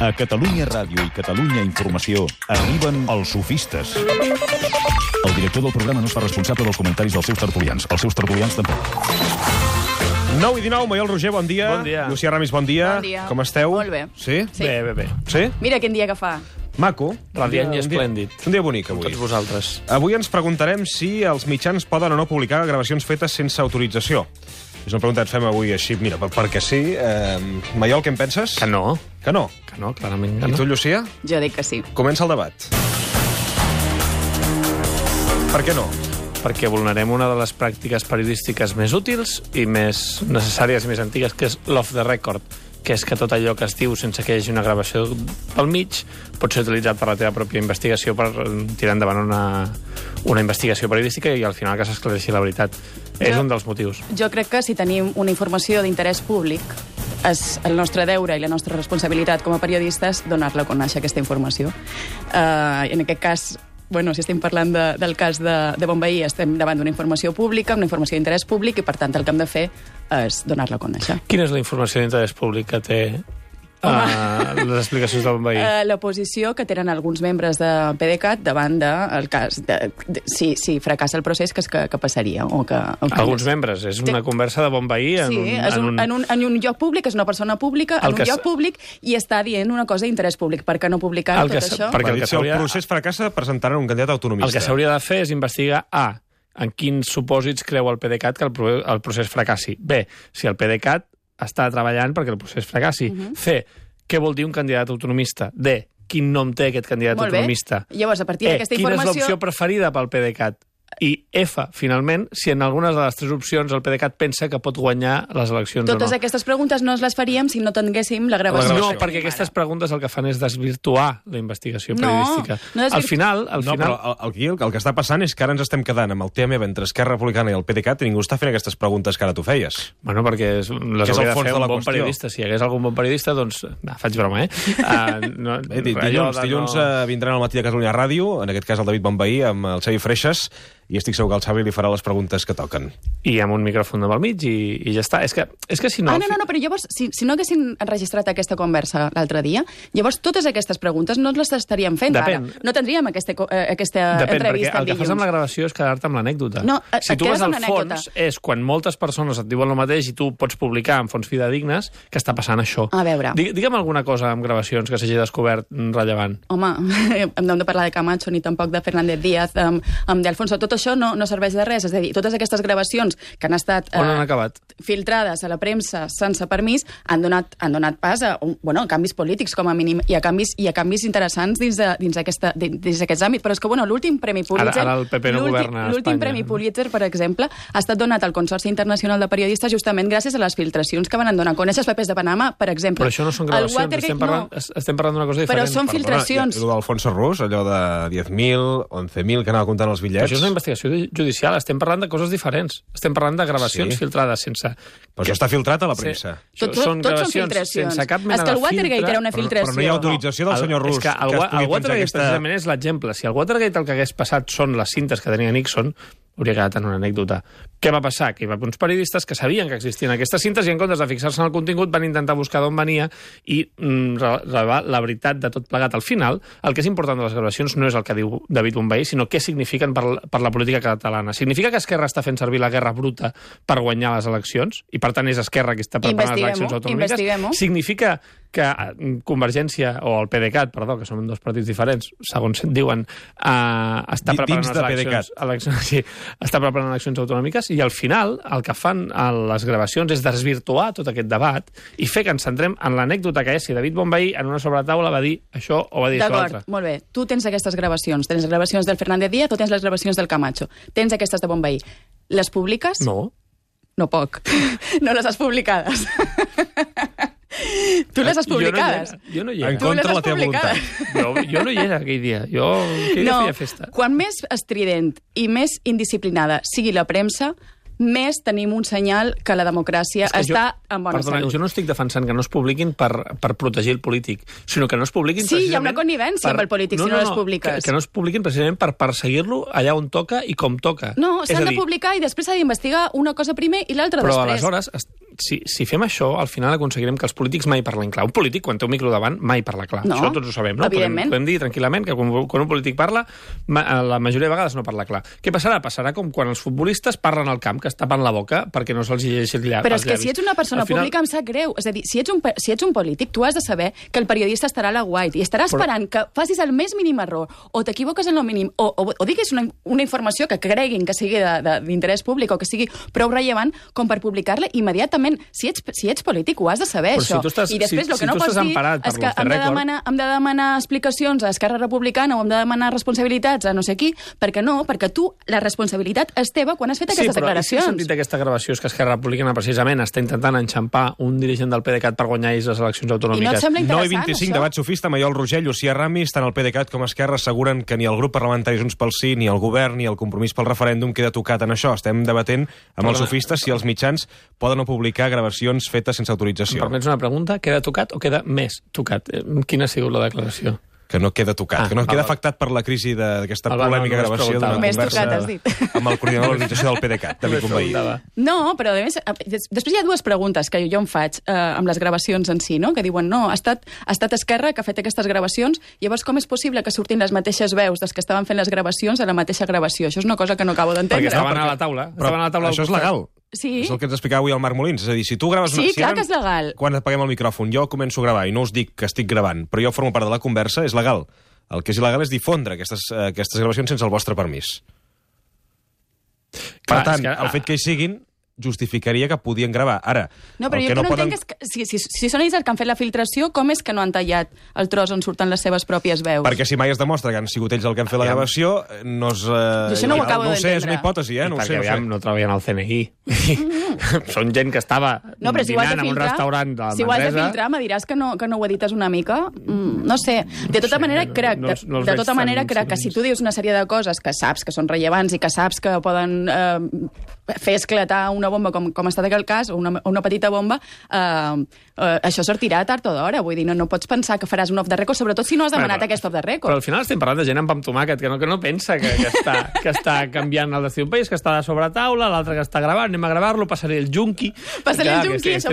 A Catalunya Ràdio i Catalunya Informació arriben els sofistes. El director del programa no es fa responsable dels comentaris dels seus tertulians. Els seus tertulians tampoc. 9 i 19, Maiol Roger, bon dia. Bon dia. Llucia Ramis, bon dia. Bon dia. Com esteu? Molt bé. Sí? Sí. Bé. Sí? Mira quin dia que fa. Maco. Radiant i esplèndid. Un dia bonic, avui. Tots vosaltres. Avui ens preguntarem si els mitjans poden o no publicar gravacions fetes sense autorització. És una pregunta que et fem avui així, mira, perquè sí. Maiol, què en penses? Que no. Que no? Que no, clarament que I no. tu, Llucia? Jo dic que sí. Comença el debat. Per què no? Perquè vulnerem una de les pràctiques periodístiques més útils i més necessàries i més antigues, que és l'off the record, que és que tot allò que es diu sense que hi hagi una gravació pel mig pot ser utilitzat per la teva pròpia investigació per tirar endavant una investigació periodística i al final que s'esclareixi la veritat. És un dels motius. Jo crec que si tenim una informació d'interès públic, és el nostre deure i la nostra responsabilitat com a periodistes donar-la a conèixer, aquesta informació. En aquest cas, si estem parlant del cas de Bonveí, estem davant d'una informació pública, una informació d'interès públic, i per tant el que hem de fer és donar-la a conèixer. Quina és la informació d'interès públic que té les explicacions del Bonveí? La posició que tenen alguns membres de PDeCAT davant del cas. Si fracassa el procés, que passaria? Alguns membres. És una conversa de Bonveí en un lloc públic, és una persona pública, en un lloc públic, i està dient una cosa d'interès públic. Per què no publicar tot això? Perquè si el procés fracassa, presentaran un candidat autonomista. El que s'hauria de fer és investigar en quins supòsits creu el PDeCAT que el procés fracassi. B, si el PDeCAT està treballant perquè el procés fracassi. C, què vol dir un candidat autonomista? D, quin nom té aquest candidat autonomista? Llavors, a partir d'aquesta informació... Quina és l'opció preferida pel PDeCAT? I F, finalment, si en algunes de les tres opcions el PDeCAT pensa que pot guanyar les eleccions o no. Totes aquestes preguntes no les faríem si no tinguéssim la gravació. No, perquè aquestes preguntes el que fan és desvirtuar la investigació periodística. Al final... No, però el que està passant és que ara ens estem quedant amb el tema entre Esquerra Republicana i el PDeCAT i ningú està fent aquestes preguntes que ara tu feies. Bueno, perquè les hauria de fer un bon periodista. Si hi hagués algun bon periodista, doncs... faig broma, Dilluns vindran al matí de Catalunya Ràdio, en aquest cas el David Bonveí, amb el Xavi Freixas, i estic segur que el Xavi li farà les preguntes que toquen. I amb un micròfon al mig i ja està. És que si no... No, però llavors, si no haguessin enregistrat aquesta conversa l'altre dia, llavors totes aquestes preguntes no les estaríem fent ara. No tindríem aquesta entrevista perquè el dilluns. que fas amb la gravació és quedar-te amb l'anècdota. No, si tu vas al fons, és quan moltes persones et diuen el mateix i tu pots publicar en fonts fidedignes que està passant això. A veure... Digue'm alguna cosa amb gravacions que s'hagi descobert rellevant. Home, hem de parlar de Camacho ni tampoc de Fernández Díaz, amb de Alfonso. Tot això no serveix de res. És a dir, totes aquestes gravacions que han estat filtrades a la premsa sense permís han donat pas a canvis polítics, com a mínim, i a canvis interessants dins d'aquest àmbit. Però és que, l'últim Premi Pulitzer... Ara el PP no governa a Espanya. L'últim Premi Pulitzer, per exemple, ha estat donat al Consorci Internacional de Periodistes justament gràcies a les filtracions que van donar a conèixer els papers de Panama, per exemple. Però això no són gravacions, estem parlant d'una cosa diferent. Però són filtracions. Allò d'Alfonso Rus, allò de 10.000, 11.000, que anava comptant els bitllets. Això és una investigació judicial, estem parlant de coses diferents. Estem parlant de gravacions filtrades sense... Però això està filtrat a la premsa. Tot són filtracions. Sense cap mena de filtre. És que el Watergate era una filtració. Però no hi ha autorització del senyor Rus. És que el Watergate precisament és l'exemple. Si el Watergate el que hagués passat són les cintes que tenia Nixon, hauria quedat en una anècdota. Què va passar? Que hi va haver uns periodistes que sabien que existien aquestes cintes i en comptes de fixar-se en el contingut van intentar buscar d'on venia i revelar la veritat de tot plegat. Al final, el que és important de les gravacions no és el que diu David Bonveí, sinó què signifiquen per la política catalana. Significa que Esquerra està fent servir la guerra bruta per guanyar les eleccions i per tant és Esquerra qui està preparant les eleccions autonòmiques? Significa que Convergència, o el PDeCAT, perdó, que són dos partits diferents, segons diuen, està preparant eleccions autonòmiques i al final el que fan a les gravacions és desvirtuar tot aquest debat i fer que ens centrem en l'anècdota que és si David Bonveí en una sobretaula va dir això o va dir això altre. D'acord, molt bé. Tu tens aquestes gravacions. Tens les gravacions del Fernández Díaz o tens les gravacions del Camacho. Tens aquestes de Bonveí. Les publiques? No. No poc. No les has publicades. Tu les has publicades. Jo no hi era. En contra la teva voluntat. Jo no hi era aquell dia. Jo feia festa. Quan més estrident i més indisciplinada sigui la premsa, més tenim un senyal que la democràcia està en bona salut. Jo no estic defensant que no es publiquin per protegir el polític, sinó que no es publiquin precisament... Sí, hi ha una connivència amb el polític si no les publiques. Que no es publiquin precisament per perseguir-lo allà on toca i com toca. No, s'han de publicar i després s'ha d'investigar una cosa primer i l'altra després. Però aleshores, si fem això, al final aconseguirem que els polítics mai parlin clar. Un polític, quan té un micro davant, mai parla clar. No, això tots ho sabem, no? Podem dir tranquil·lament que quan un polític parla, la majoria de vegades no parla clar. Què passarà? Passarà com quan els futbolistes parlen al camp, que es tapen la boca perquè no se'ls llegeixi els llavis. Però és que si ets una persona pública em sap greu. És a dir, si ets un polític, tu has de saber que el periodista estarà a la guaita i estarà esperant que facis el més mínim error, o t'equivoques en el mínim, o diguis una informació que creguin que sigui d'interès públic o que sigui prou rellevant com per publicar-la immediatament. Si ets polític, ho has de saber, això. I després el que no pots dir és que hem de demanar explicacions a Esquerra Republicana o hem de demanar responsabilitats a no sé qui, perquè tu, la responsabilitat és teva quan has fet aquestes declaracions. Sí, però el sentit d'aquesta gravació és que Esquerra Republicana precisament està intentant enxampar un dirigent del PDeCAT per guanyar les eleccions autonòmiques. I no et sembla interessant, 9:25, debat sofista, Maiol Roger, Llucia Ramis, tant el PDeCAT com Esquerra asseguren que ni el grup parlamentari Junts pel Sí, ni el govern, ni el compromís pel referèndum queda tocat en això. Estem debatent amb els sofistes si els mitjans poden o publicar gravacions fetes sense autorització. Em permets una pregunta? Queda tocat o queda més tocat? Quina ha sigut la declaració? Que no queda tocat, que no queda afectat per la crisi d'aquesta polèmica gravació d'una conversa amb el coordinador de l'organització del PDeCAT, David Conveí. No, però després hi ha dues preguntes que jo em faig amb les gravacions en si, no? Que diuen, no, ha estat Esquerra que ha fet aquestes gravacions, llavors com és possible que surtin les mateixes veus dels que estaven fent les gravacions a la mateixa gravació? Això és una cosa que no acabo d'entendre. Perquè estaven a la taula. Això és legal. Sí. És el que ens explicava avui el Marc Molins. És a dir, si tu graves... Sí, clar que és legal. Quan apaguem el micròfon, jo començo a gravar i no us dic que estic gravant, però jo formo part de la conversa, és legal. El que és il·legal és difondre aquestes gravacions sense el vostre permís. Per tant, el fet que hi siguin justificaria que podien gravar. Ara, no, però jo el que no entenc és que si són ells els que han fet la filtració, com és que no han tallat el tros on surten les seves pròpies veus? Perquè si mai es demostra que han sigut ells el que han fet la gravació, no és... això no ho acabo d'entendre. No ho sé, és una hipòtesi, no ho sé. Perquè no treballen al CNI. Són gent que estava dinant en un restaurant de Manresa. Si ho has de filtrar, me diràs que no ho edites una mica? No sé. De tota manera, crec que si tu dius una sèrie de coses que saps que són rellevants i que saps que poden fer esclatar una bomba, com ha estat aquell cas, o una petita bomba, això sortirà tard o d'hora. Vull dir, no pots pensar que faràs un off the record, sobretot si no has demanat aquest off the record. Però al final estem parlant de gent amb pa amb tomàquet, que no pensa que està canviant el destí d'un país, que està a sobre taula, l'altre que està gravant, anem a gravar-lo, passaré el junqui. Passaré el junqui, això...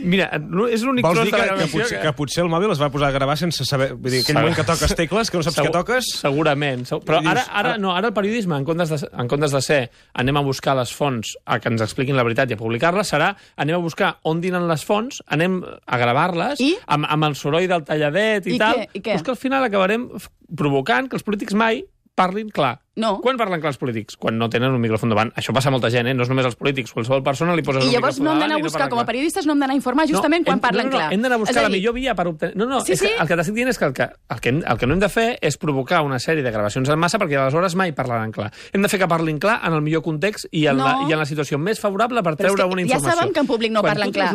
Mira, és l'únic tros de la gravació... Que potser el mòbil es va posar a gravar sense saber... Vull dir, aquell moment que toques tecles, que no saps què toques... Segurament. Però ara el periodisme, en comptes de ser anem a buscar les fonts a que ens expliquin la veritat i a publicar-les, serà anem a buscar on dinen les fonts, anem a gravar-les amb el soroll del talladet i tal, però és que al final acabarem provocant que els polítics mai parlin clar. No. Quan parlen clar els polítics? Quan no tenen un micròfon davant. Això passa a molta gent, no és només els polítics. Qualsevol persona li poses un micròfon davant i no parla clar. I llavors no hem d'anar a buscar, com a periodistes, no hem d'anar a informar justament quan parlen clar. Hem d'anar a buscar la millor via per obtenir... No, és que el que t'estic dient és que el que no hem de fer és provocar una sèrie de gravacions en massa perquè aleshores mai parlaran clar. Hem de fer que parlin clar en el millor context i en la situació més favorable per treure una informació. Ja sabem que en públic no parlen clar.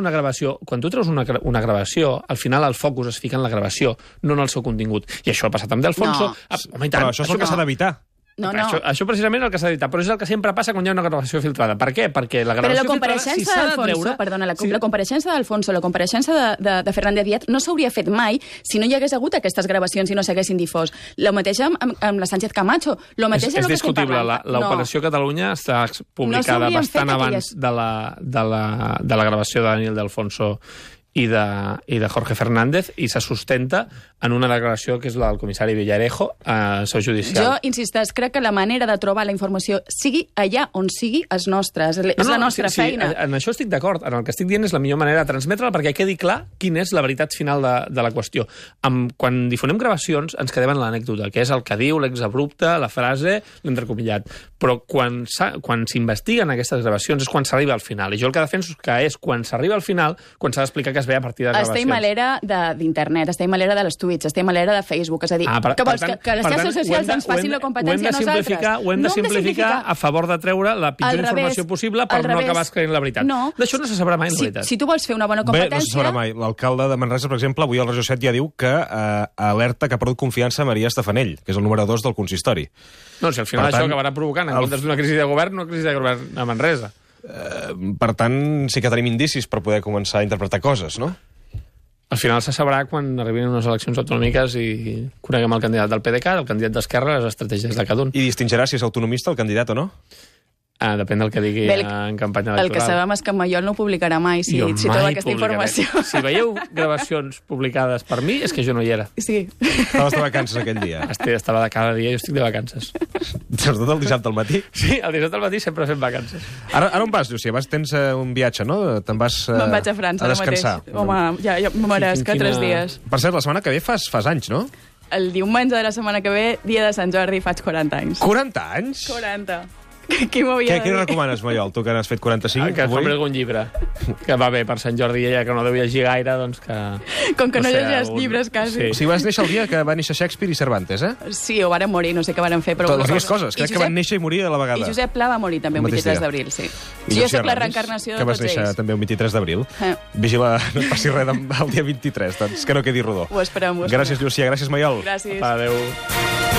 Quan tu treus una gravació, al final el focus es fica en la gravació, no en el seu contingut. I això ha passat amb De Alfonso. Però això és el que s'ha d'evitar. No. Això precisament és el que s'ha d'evitar, però és el que sempre passa quan hi ha una gravació filtrada. Per què? Perquè la gravació filtrada, si s'ha de treure... La compareixença d'Alfonso, la compareixença de Fernández Díaz no s'hauria fet mai si no hi hagués hagut aquestes gravacions i no s'haguessin difós. Lo mateix amb la Sánchez Camacho. És discutible. L'Operació Catalunya està publicada bastant abans de la gravació de Daniel de Alfonso i de Jorge Fernández, i se sustenta en una declaració que és la del comissari Villarejo a seu judicial. Jo insisteix, crec que la manera de trobar la informació, sigui allà on sigui, és nostra, és la nostra feina. En això estic d'acord. En el que estic dient és la millor manera de transmetre-la perquè quedi clar quina és la veritat final de la qüestió. Quan difonem gravacions ens quedem en l'anècdota, que és el que diu, l'exabrupte, la frase, l'entrecomillat. Però quan s'investiguen aquestes gravacions és quan s'arriba al final. I jo el que defenso és quan s'arriba al final, quan s'ha d'explicar que es ve a partir de gravacions. Estem a l'era d'internet, estem a l'era de les Twitch, estem a l'era de Facebook, és a dir, que vols que les xarxes socials ens facin la competència a nosaltres. Ho hem de simplificar a favor de treure la pitjor informació possible per no acabar creient la veritat. D'això no se sabrà mai, en realitat. Si tu vols fer una bona competència... Bé, no se sabrà mai. L'alcalde de Manresa, per exemple, avui al Regió 7 ja diu que alerta que ha perdut confiança a Maria Estefanell, que és el número 2 del consistori. No, si al final això acabarà provocant, en comptes d'una crisi de govern, una crisi de govern a Manresa. Per tant, sí que tenim indicis per poder començar a interpretar coses, no? Al final se sabrà quan arribin unes eleccions autonòmiques i coneguem el candidat del PDeCAT, el candidat d'Esquerra, les estratègies de cada un. I distingirà si és autonomista el candidat o no? Depèn del que digui en campanya electoral. El que sabem és que Mayol no ho publicarà mai, si tota aquesta informació. Si veieu gravacions publicades per mi, és que jo no hi era. Sí. Estaves de vacances aquell dia. Estava de cada dia, jo estic de vacances. Sobretot el dissabte al matí? Sí, el dissabte al matí sempre fem vacances. Ara on vas, Llucia? Tens un viatge, no? Te'n vas Me'n vaig a França, a descansar. Home, ja meresc, 3 dies. Per cert, la setmana que ve fas anys, no? El diumenge de la setmana que ve, dia de Sant Jordi, faig 40 anys. 40 anys? 40. Qui m'havia de dir? Què recomanes, Mayol, tu que n'has fet 45? Que compri algun llibre. Que va bé per Sant Jordi, ella que no deu llegir gaire, doncs que... Com que no llegeix llibres, quasi. Sí. O sigui, vas néixer el dia que va néixer Shakespeare i Cervantes, eh? Sí, o varen morir, no sé què varen fer, però... Totes les dues coses, crec que van néixer i morir a la vegada. I Josep Pla va morir també el 23 d'abril, sí. Jo soc la reencarnació de tots ells. Que vas néixer també el 23 d'abril. Vigila, no et passi res el dia 23, doncs que no quedi rodó. Ho esperem. Gràcies, Llucia, gràcies, Mayol. Gràcies. Adéu.